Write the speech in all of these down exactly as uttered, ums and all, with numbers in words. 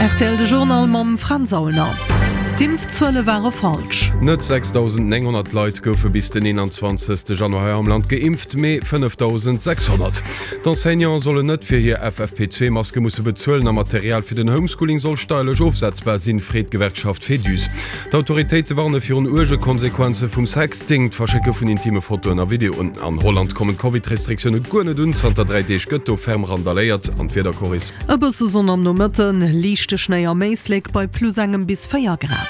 Rtl de Journal mam Fränz Aulner. D'Impfzuele ware falsch. Net sechsdausendnénghonnert Leit goufe bis den eenanzwanzegste Januar hei am Land geimpft, mee fënnefdausendsechshonnert. D'Enseignante sollen net fir hir F F P zwee Maske musse bezuelen a Material fir den Homeschooling soll steierlech ofsetzbar sinn, freet d'Gewerkschaft Féduse. D'autoritéite warne virun uerge Konsequenze vum Sexting, d'Verschécke vun intime Fotoen a Videoen. An Holland kommen d'Covid-Restriktioune guer net un, zanter dräi Deeg gëtt do ferm randaléiert. An d'Wieder, Coris? E bësse Sonn am Nomëtten, liichte Schnéi am Éislek bei plus engem bis véier Grad.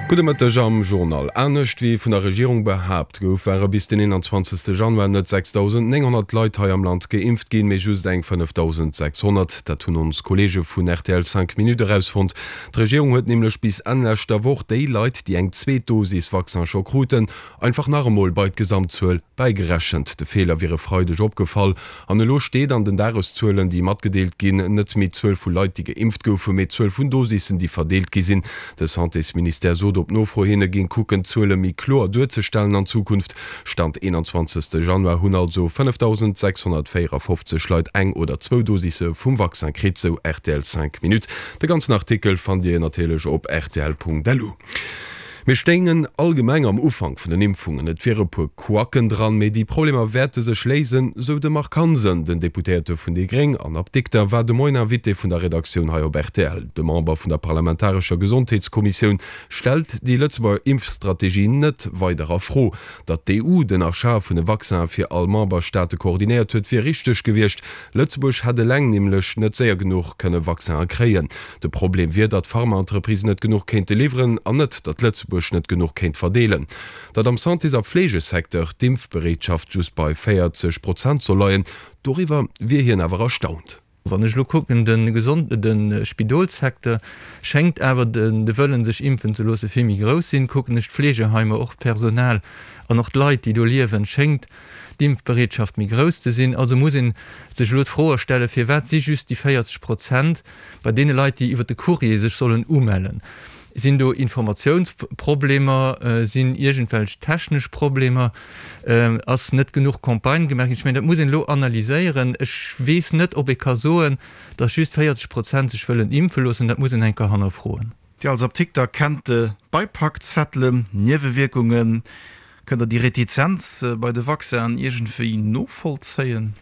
Gudde Mëtteg am Journal. Anescht wéi vun der Regierung behaapt gouf, ware bis den eenanzwanzegste Januar net sechsdausendnénghonnert Leit hei am Land geimpft ginn, mee just eng fënnefdausendsechshonnert. Dat hunn ons Kolleege vun rtl Cinq Minutes erausfonnt. D'Regierung huet nämlech bis Enn leschter Woch déi Leit, déi eng zweet Dosis Vaccin scho kruten, einfach nach emol bei d'Gesamtzuel bäigerechent. De Feeler wier e Freideg opgefall an elo steet an den Dageszuelen, déi matgedeelt ginn, net méi d'Zuel vu Leit, déi geimpft goufen, mee d'Zuel vun Dosissen, déi verdeelt gi sinn. De Santésministère sot op Nofro hin, e géing kucken, d'Zuele méi kloer duerzestellen an Zukunft. Stand eenanzwanzegste Januar hunn also fënnefdausendsechshonnertvéierafofzeg Leit eng oder zwou Dosisse vum Vaccin kritt, sou rtl Cinq Minutes. De ganzen Artikel fannt Dir natierlech op rtl.lu. Mir stéingen allgemeng am Ufank vun den Impfungen. Et wiere puer Couacken dran, mee déi Problemer wäerte sech léisen, sou de Marc Hansen. Den Deputéierte vun déi Gréng an Apdikter war de Moien Invité vun der Redaktioun hei op rtl. De Member vun der parlamentarescher Gesondheetskommissioun stellt déi Lëtzebuerger Impfstrategie net weider a Fro. Datt d'E U den Achat vun de Vaccinen fir all Memberstaate koordinéiert huet, wier richteg gewiescht. Lëtzebuerg hätt eleng nämlech net séier genuch kënne Vaccinen kréien. De Problem wier, datt d'Pharmaentreprisen net genuch kéinte liwweren an net, datt Lëtzebuerg net genuch kéint verdeelen. Datt am Santés a Fleegesecteur d'Impfbereetschaft just bei véierzeg Prozent soll leien, doriwwer wier hien awer erstaunt. Wann ech elo kucken, de Gesond-, de Spidolssecteur schéngt awer de Wëllen, sech impfen ze loosse, vill méi grouss sinn. Kucken ech d'Fleegeheimer, och d'Personal an och d'Leit, déi do liewen, schéngt d'Impfbereetschaft méi grouss ze sinn. Also muss ee sech elo d'Fro stellen, firwat si just déi véierzeg Prozent bei deene Leit, déi iwwer de Courrier sech sollen umellen? Sinn do Informatiounsproblemer, sinn iergendwelch technesch Problemer, ass net genuch Campagne gemaach ginn? Ech mengen, dat muss een elo analyséieren. Ech weess net, ob ee ka soen, datt just véierzeg Prozent sech wëllen impfe loossen. Dat muss een eng Kéier hannerfroen. Dir als Apdikter kennt de Beipackzettelen, Niewewierkungen. Kënnt Der déi Retizenz bei de Vaccinen iergendwéi novollzéien?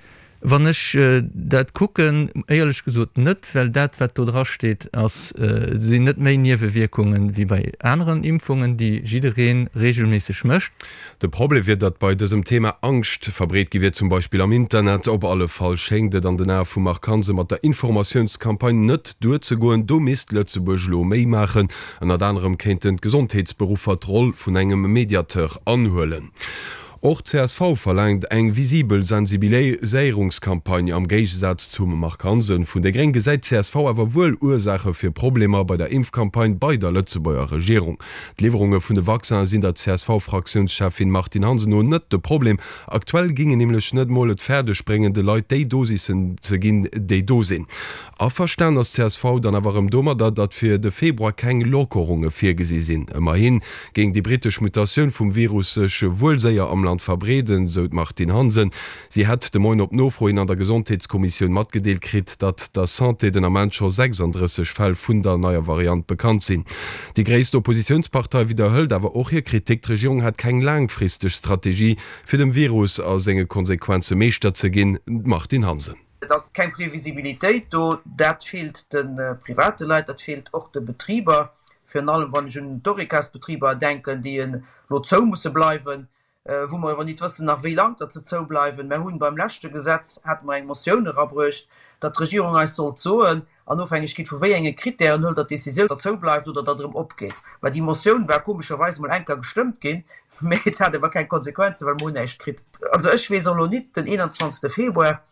Wann ech dat kucken, éierlech gesot net, well dat, wat do drasteet, ass, sinn net méi Niewewierkungen wéi bei aneren Impfungen, déi jidderee reegelméisseg mécht. De Problem wier, datt bei dësem Thema Angscht verbreet gi wier, zum Beispill am Internet. Op alle Fall schéngt et an den Ae vum Marc Hansen mat der Informatiounscampagne net duerzegoen. Do misst Lëtzebuerg elo méi maachen. Ënnert anerem kéinten d'Gesondheetsberuffer d'Roll vun engem Mediateur anhuelen. Och d'C S V verlaangt eng visibel Sensibiliséierungscampagne. Am Géigesaz zum Marc Hansen vun déi Gréng gesäit d'C S V awer wuel Ursaache fir Problemer bei der Impfcampagne bei der Lëtzebuerger Regierung. D'Liwwerunge vun de Vaccinen sinn der C S V-Fraktiounscheffin Martine Hansen no net de Problem. Aktuell géing een nämlech net mol et fäerdeg bréngen, de Leit déi Dosissen ze ginn, déi do sinn. Averstan ass d'C S V dann awer erëm domadder, datt fir de Februar keng Lockerunge virgesi sinn. Ëmmerhi géing déi brittesch Mutatioun vum Virus sech wuel séier am Land verbreeden, sou d'Martine Hansen. Si hätt de Moien op Nofro hin an der Gesondheetskommissioun matgedeelt kritt, datt der Santé den Ament scho sechsanddrësseg Fäll vun der neier Variant bekannt sinn. Déi gréisst Oppositiounspartei widderhëlt awer och hir Kritik, d'Regierung hätt keng laangfristeg Strategie, fir dem Virus a senge Konsequenze Meeschter ze ginn. D'Martine Hansen. Et ass keng Previsibilitéit do. Dat feelt de private Leit, dat feelt och de Betriber, virun allem wann ech un d'Horecasbetriber denken, déi elo zou musse bleiwen, wou mer awer nit wëssen nach wéi laang datt se zou bleiwen. Mer hunn beim leschte Gesetz, hate mer eng Motioun erabruecht, datt d'Regierung eis sollt soen, an Ofhängegkeet vu wéi enge Kritären hëlt Der d'Decisioun, datt zou bleift oder datt erëm opgeet. Mä déi Motioun war komescherweis emol eng Kéier gestëmmt ginn, mä et hat awer keng Konsequenzen, well mer hunn näischt kritt. Also ech weess och elo nit, den eenanzwanzegste Februar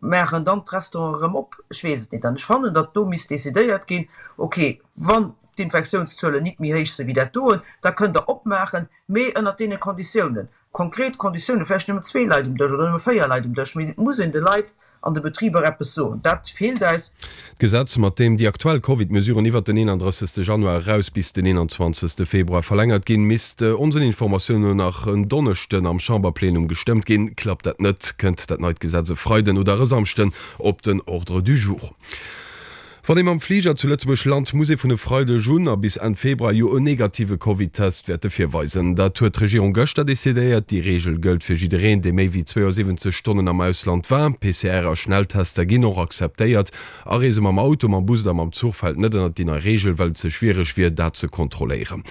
maachen dann d'Restauranten erëm op? Ech weess et nit. An ech fannen, datt do misst decidéiert ginn, okay, wann d'Infektiounszuelen nit méi héich si wéi dat doen, da kënnt Der opmaachen, mee ënnert deene Konditiounen. Konkret Konditiounen, vläicht nëmmen zwee Leit um Dësch oder nëmme véier Leit um Dësch, mee et muss een de Leit an de Betriber eppes soen. Dat feelt eis. D'Gesetz, mat deem déi aktuell Covid-Mesuren iwwert den eenanddrëssegste Januar eraus bis den eenanzwanzegste Februar verlängert ginn, misst onsen Informatiounen no nach en Donneschden am Chamberplenum gestëmmt ginn. Klappt dat net, kënnt dat neit Gesetz e Freiden oder e Samschden op den Ordre du jour. Wann ee mam Fliger zu Lëtzebuerg lant, muss ee vun e Freideg un a bis Enn Februar jo en negative Covid-Test wäerte virweisen. Dat huet d'Regierung gëschter decidéiert. Déi Reegel gëllt fir jiddereen, dee méi wéi zweeënsiwwenzeg Stonnen am Ausland war. P C R a Schnelltester ginn och akzeptéiert. Areese mam Auto, mam Bus oder mam Zuch fält net ënnert déi nei Reegel, well et ze schwiereg wier, dat ze kontrolléieren.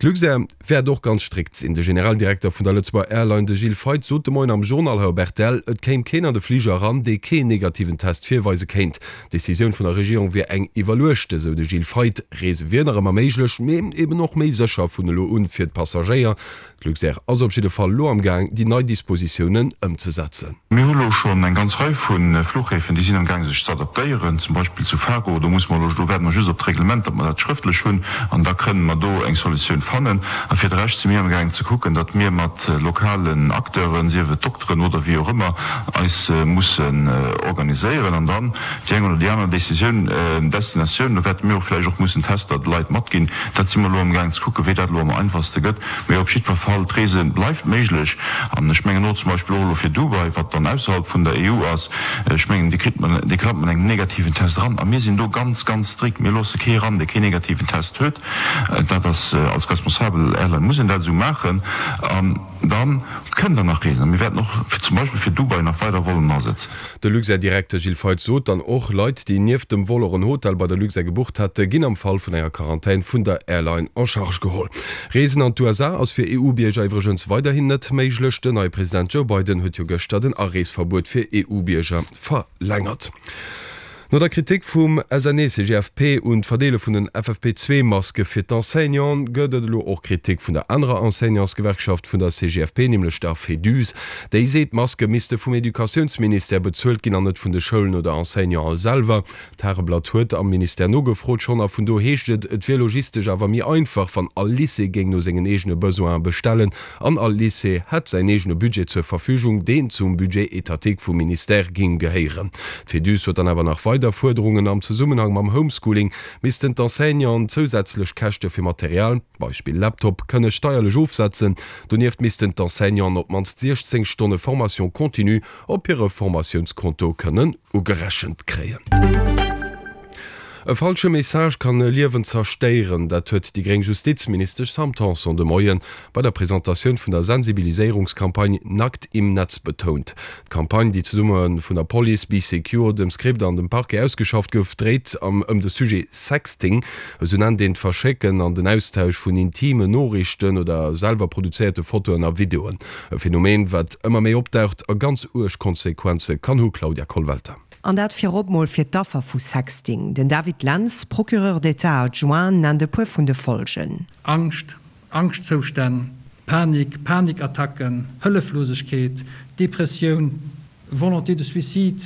D'Luxair wäert och ganz strikt sinn. De Generaldirekter vun der Lëtzebuerger Airline, de Gilles Feith, sot de Moien am Journal hei op R T L, et kéim keen an de Fliger eran, dee keen negativen Test virweise kéint. D'Decisioun vun der Regierung wier eng iwwerluechte, sou de Gilles Feith. Reese wier nach ëmmer méiglech, mee eben och méi sécher vun elo un fir d'Passagéier. D'Luxair ass op jidde Fall elo am Gaang, déi nei Dispositiounen ëmzesetzen. Mir hu lo schonn eng ganz Rei vu Fluchhäfen, déi sinn am Gaang sech ze adaptéieren, zum Beispill zu Faro. Do musse mer elo, do waarde mer just op d'Reglement, datt mer dat schrëftlech hunn, an da kënnen mer do eng Solutioun fannen. A fir de Rescht si mir am Gaang ze kucken, datt mir mat lokalen Acteuren, sief et Dokteren oder wéi och ëmmer, eis mussen organiséieren an dann déi eng oder déi aner Décisioun, Destinatioun, do wäerte mir och vläicht och mussen Tester de Leit matginn. Dat si mer elo am Gaang ze kucken, wéi dat elo am einfachste gëtt. Mee op jiddwer Fall, d'Reese bleift méiglech. An ech mengen och zum Beispill och elo fir Dubai, wat dann ausserhalb vun der E U ass, ech mengen, déi kritt man, déi klappt mat engem negativen Test eran. A mir sinn do ganz, ganz strikt. Mir loosse kee eran, dee keen negativen Test huet. Dat ass, als responsabel Airline muss een dat esou maachen. An da kënnt Der nach reesen. A mir wäerten och fir zum Beispill fir Dubai nach weider Vollen asetzen. De Luxair-Direkter Gilles Feith sot dann och, Leit, déi nieft dem Vol och en Hotel bei der Luxair gebucht hätte, ginn am Fall vun enger Quarantän vun der Airline en charge geholl. Reesen an d'U S A ass fir E U-Bierger iwwregens weiderhin net méiglech. Den neie President Joe Biden huet jo gëschter den Areesverbuet fir E U-Bierger verlängert. No der Kritik vum S N E C G F P un d'Verdeele vun den F F P zwee Maske fir d'Enseignanten, gëtt et elo och Kritik vun der anerer Enseignantsgewerkschaft vun der C G F P, nämlech der Féduse. Déi seet, d'Maske misste vum Educatiounsministère bezuelt ginn an net vun de Schoulen oder Enseignanten selwer. D'Tageblatt huet am Ministère nogefrot schonn a vun do heescht et, et wier logistesch awer méi einfach, wann all Lycée géing no sengen eegene Besoine bestellen an all Lycée hätt säin eegene Budget zur Verfügung, deen zum Budget étatique vum Ministère géing gehéieren. D'Féduse huet dann awer nach weider Fuerderungen. Am Zesummenhang mam Homeschooling missten d'Enseignanten zousätzlech Käschte fir Material, Beispill Laptop, kënne steierlech ofsetzen. Donieft missten d'Enseignanten op d'mannst siechzéng Stonne Formation continue op hire Formatiounskonto kënnen ugerechent kréien. E falsche Message kann e Liewen zerstéieren, dat huet déi gréng Justizministesch Sam Tanson de Moien bei der Presentatioun vun der Sensibiliséierungscampagne Nackt im Netz betount. D'Campagne, déi zesumme vun der Police, Bee Secure, dem Script an dem Parquet ausgeschafft gouf, dréit am ëm de Sujet Sexting, esou nennt een d'Verschécken an den Austausch vun intime Noriichten oder selwer produzéierte Fotoen a Videoen. E Phänomen, wat ëmmer méi opdaucht a ganz uerg Konsequenze kann hu, Claudia Kollwelter. An dat virop mol fir d'Affer vu Sexting. Den David Lentz, Procureur d'État adjoint, nennt e puer vun de Folgen. Angscht, Angschtzoustänn, Panik, Panikattacken, Hëlleflosegkeet, Depressioun, Volonté de suicide,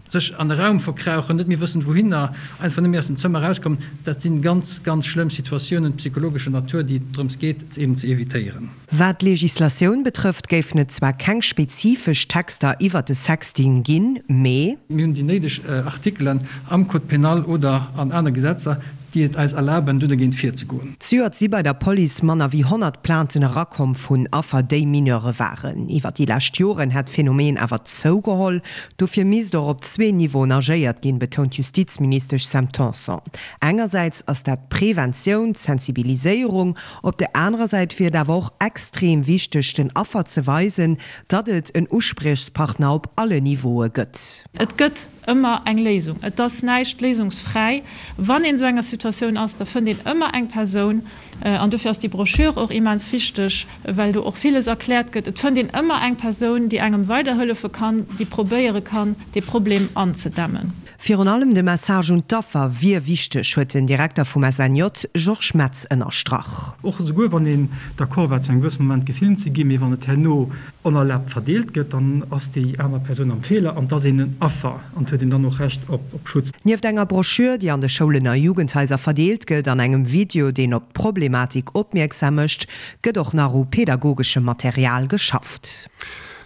sech an e Raum verkrauchen, net méi wëssen wouhinner, einfach net méi aus dem Zëmmer erauskommen, dat si ganz, ganz schlëmm Situatiounen psychologescher Natur, déi et drëms geet eben ze evitéieren. Wat d'Legislatioun betrëfft, géifen et zwar keng spezifesch Texter iwwer de Sexting ginn, mee. Mir hunn déi néideg Artikelen am Code pénal oder an aner Gesetzer, déi et eis erlaben, do dergéint virzegoen. Zejoert si bei der Police manner wéi honnert Plainten erakomm vun Affer, déi Mineure waren. Iwwer déi lescht Joren hätt d'Phänomen awer zougeholl. Dofir misst och op zwee Niveauen agéiert ginn, betount d'Justizministesch Sam Tanson. Engersäits ass dat d'Preventioun, d'Sensibiliséierung, op der anerer Säit wier et awer och extrem wichteg, den Affer ze weisen, datt et en Uspriechpartner op alle Niveaue gëtt. Et gëtt ëmmer eng Léisung. Et ass näischt léisungsfräi. Wann een esou enger Situatioun ass, da fënnt een ëmmer eng Persoun. An dofir ass déi Broschür och immens wichteg, well do och villes erkläert gëtt. Et fënnt een ëmmer eng Persoun, déi engem weiderhëllefe kann, déi probéiere kann, dee Problem anzedämmen. Virun allem de Message un d'Affer wier wichteg, huet den Direkter vum S N J Georges Metz ënnerstrach. Och esouguer wann een d'accord war zu engem gewësse Moment gefilmt ze ginn, mee wann et herno onerlaabt verdeelt gëtt, dann ass déi aner Persoun am Feeler an et ass een en Affer an et huet een dann och Recht op Schutz. Nieft enger Broschür, déi an de Schoulen a Jugendhaiser verdeelt gëtt, an engem Video, deen op d'Problematik opmierksam mécht, gëtt och nach u pedagogeschem Material geschafft.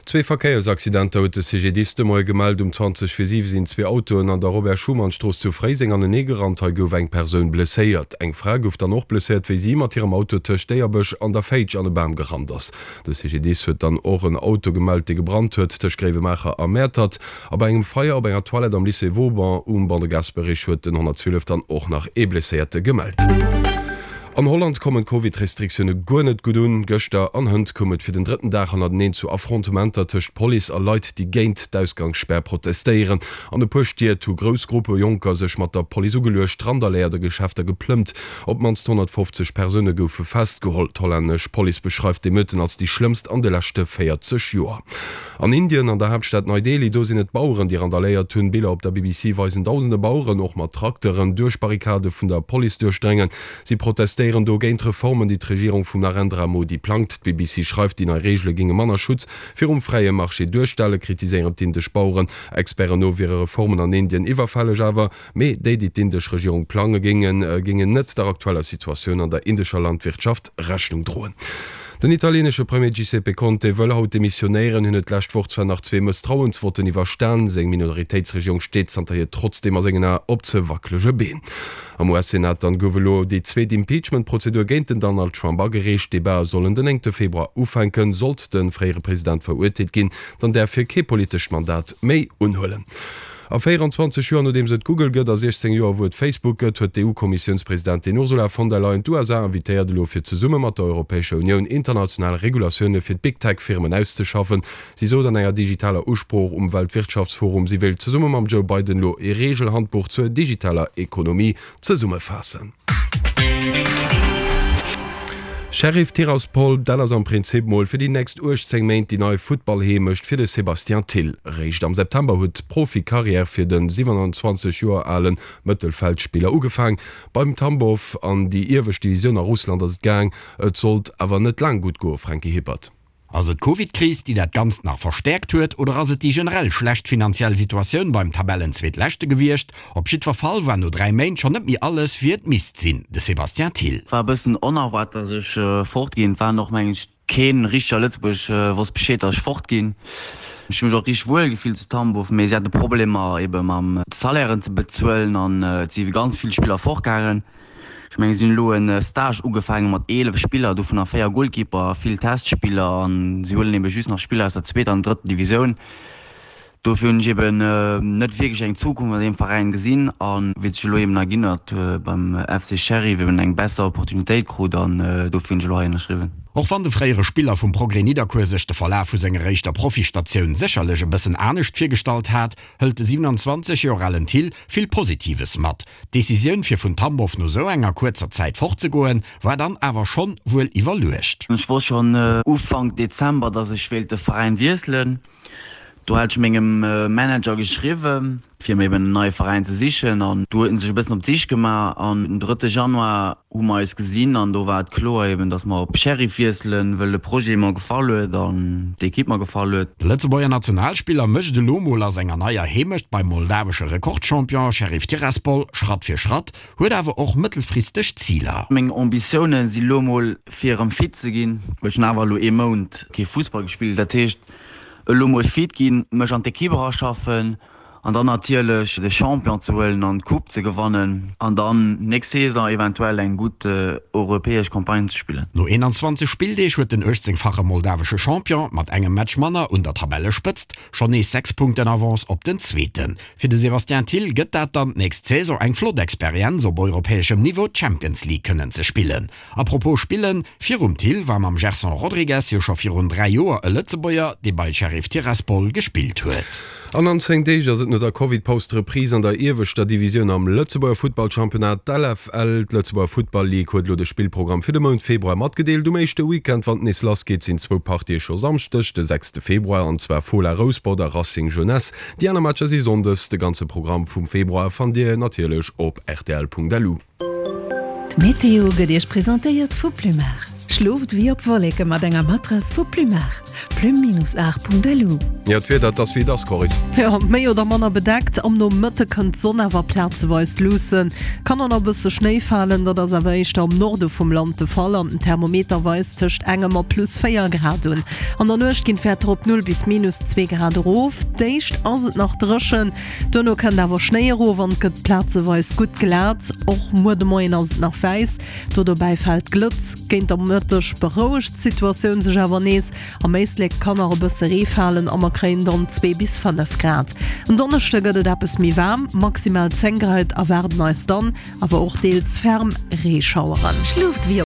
Zwee Verkéiersaccidenter huet de C G D I S de Moie gemellt. Um zwanzeg vir siwe sinn zwee Autoen an der Robert-Schuman-Strooss zu Fréiseng anenee gerannt. Hei gouf eng Persoun blesséiert. Eng Fra gouf dann och blesséiert, wéi si mat hirem Auto tëscht Déierbech an der Féitsch an e Bam gerannt ass. De C G D I S huet dann och en Auto gemellt, dee gebrannt huet tëscht Gréiwemaacher a Mäertert. A bei engem Feier op enger Toilette am Lycée Vauban um Ban de Gasperich huet den honnertzwielef dann och nach ee Blesséierte gemellt. An Holland kommen d'Covid-Restriktioune guer net gutt un. Gëschter an hënt koum et fir den drëtten Dag hannerteneen zu Affrontementer tëscht Police a Leit, déi géint d'Ausgangsspär protestéieren. An e puer Stied hu grouss Gruppe Jonker sech mat der Police ugeluecht, randaléiert a Geschäfter geplëmmt. Op d'mannst honnertfofzeg Persoune goufe festgeholl. D'hollännesch Police beschreift d'Emeuten als déi schlëmmst an de leschte véierzeg Joer. An Indien, an der Haaptstad Nei Delhi, do sinn et d'Baueren, déi randaléiert hunn. Biller op der B B C weisen dausende Baueren, och mat Trakteren, duerch Barrikade vun der Police duerchdréngen. Si protestéieren do géint Reformen, déi d'Regierung vum Narendra Modi plangt. D'B B C schreift, déi nei Reegele géinge manner Schutz virum fräie Marché duerstellen, kritiséieren d'indesch Baueren. Experten no wiere Reformen an Indien iwwerfälleg, awer mee déi, déi d'indesch Regierung plange géingen, géingen net der aktueller Situatioun an der indescher Landwirtschaft Rechnung droen. Den italienesche Premier Giuseppe Conte wëll haut demissionéieren. Hien huet d'lescht Woch zwar nach zwee Mësstrauensvotten iwwerstan, seng Minoritéitsregierung steet zanterhier trotzdeem a sengen Ae op ze wackelege Been. Am U S-Senat dann gouf elo déi zweet Impeachment-Prozedur géint den Donald Trump agereecht. D'Debatte sollen den néngte Februar ufänken. Sollt de fréiere President verurteelt ginn, dann däerf hie kee politescht Mandat méi unhuelen. A véieranzwanzeg Joer nodeems et Google gëtt a siechzéng Joer wou et Facebook gëtt, huet d'E U-Kommissiounspresidentin Ursula von der Leyen d'U S A invitéiert elo fir zesumme mat der Europäescher Unioun international Regulatioune fir d'Big Tech Firmen auszeschaffen. Si sot an enger digitaler Usprooch um Weltwirtschaftsforum, si wéilt zesumme mam Joe Biden elo ee Regelhandbuch zur digitaler Ekonomie zesummefaassen. Sheriff Tiraspol, dat ass am Prinzip mol fir déi nächst uechtzéng Méint déi nei Futtballheemecht fir de Sébastien Thill. Réischt am September huet d'Profikarriär fir de siwenanzwanzeg Joer ale Mëttelfeldspiller ugefaang. Beim Tambow an déi iewescht Divisioun a Russland ass et gaang. Et sollt awer net laang gutt goen, Franky Hippert. Ass et d'Covid-Kris, déi dat Ganzt nach verstäerkt huet, oder ass et déi generell schlecht finanziell Situatioun beim Tabellenzweetleschte gewiescht? Op jiddwer Fall war no dräi Méint schonn net méi alles, wéi et misst sinn. De Sébastien Thill. War e bëssen onerwaart, dass ech fort ginn. War och mengen ech keen richteg a Lëtzebuerg wosst Bescheed, dass ech fort ginn. Ech hu mech och richteg wuel gefillt zu Tambow, mee si hate Problemer ebe mam Salairen ze bezuelen an et si ganz vill Spiller fortgaangen. Ech mengen si hunn elo e Stage ugefaange mat eelef Spiller, dovunner véier Golkeeper, vill Testspiller an si huelen ebe just nach Spiller aus der zweeter an drëtter Divisioun. Dofir hunn ech eben net wierklech eng Zukunft an deem Veräin gesinn an wéi et sech elo eben erginn huet beim F C Sheriff eben eng besser Opportunitéit krut an dofir hunn ech elo hei ënnerschriwwen. Och wann de fréiere Spiller vum Progrès Nidderkuer sech de Verlaf vu senger éischter Profistatioun sécherlech e bëssen anescht virgestallt hat, hëlt de siewenanzwanzeg Joer alen Thill vill Positives mat. D'Decisioun fir vun Tambow no sou enger kuerzer Zäit fortzegoen, war dann awer schonn wuel iwwerluecht. Ech wosst schonn Ufank Dezember, dass ech wéilt de Veräin wiesselen. Do hat ech mengem Manager geschriwwen, fir mir eben en neie Veräin ze sichen an do huet en sech e bëssen op d'Sich gemaach an den drëtte Januar hu mer eis gesinn an do war et kloer eben, dass mer op Sheriff wiesselen, wëll de Projet mer gefall huet an d'Ekipp mer gefall huet. De Lëtzebuerger Nationalspiller mécht elo mol a senger neier Heemecht beim moldawesche Rekordchampion Sheriff Tiraspol Schratt fir Schratt, huet awer och mëttelfristeg Ziler. Meng Ambitioune si lo mol fir erëm fit ze ginn, well ech hunn awer elo ee Mount kee Fussball gespillt, dat heescht elo mol fit ginn, mech an d'Ekipp eraschaffen an dann natierlech de Champion ze huelen an d'Coupe ze gewannen an dann nächst Saison eventuell eng gutt europäesch Campagne ze spillen. No eenanzwanzeg Spilldeeg huet den uechtzéngfache moldawesche Champion mat engem Match manner un der Tabellespëtzt schonn nees sechs Punkten Avance op den Zweeten. Fir de Sébastien Thill gëtt dat dann d'nächst Saison eng flott Experienz op europäeschem Niveau d'Champions League kënnen ze spillen. A propos spillen, virum Thill war mam Gerson Rodrigues jo scho virun dräi Joer e Lëtzebuerger, dee bei Sheriff Tiraspol gespillt huet. An an zéng Deeg ass et no der Covid-Paus d'Reprise an der ieweschter Divisioun am Lëtzebuerger Futtballchampionnat, d'L F L. D'Lëtzebuerger Futtball Ligue huet elo de Spillprogramm fir de Mount Februar matgedeelt. Um éischte Weekend, wann et nees lassgeet, sinn zwou Partië scho Samschdeg, de sechste Februar, an zwar Fola Rouspert a Racing Jeunesse. Déi aner Matcher si sonndes. De ganze Programm vum Februar fannt Dir natierlech op rtl Punkt lu. D'Meteo gëtt Iech presentéiert vu Plumar. Schlooft wéi op Wolleke mat enger Matrass vu Plumart. Plume-art.lu. Jo, d'Wieder, et ass wéi et ass, Coris. Jo, méi oder manner bedeckt. Am Nomëtte kënnt d'Sonn awer plazeweis luussen. Kann och nach e bësse Schnéi falen, dat ass awer éischter am Norde vum Land de Fall an den Thermometer weist tëscht engem a plus véier Grad un. An der Nuecht ginn d'Wäerter op null bis minus zwee Grad erof. D'éischt ass et nach dréchen, duerno kënnt awer Schnéi erof an et gëtt plazeweis gutt glat. Och muer de Moien ass et nach wäiss, do dobäi fält Glëtz. Géint der Mëtteg berouegt d'Situatioun sech awer nees. Am Éislek kann nach e bësse Ree falen a mer kréien dann zwee bis fënnef Grad. En Donneschde gëtt et eppes méi waarm, maximal zéng Grad erwaarden eis dann, awer och deels ferm Reeschaueren. Schlooft wéi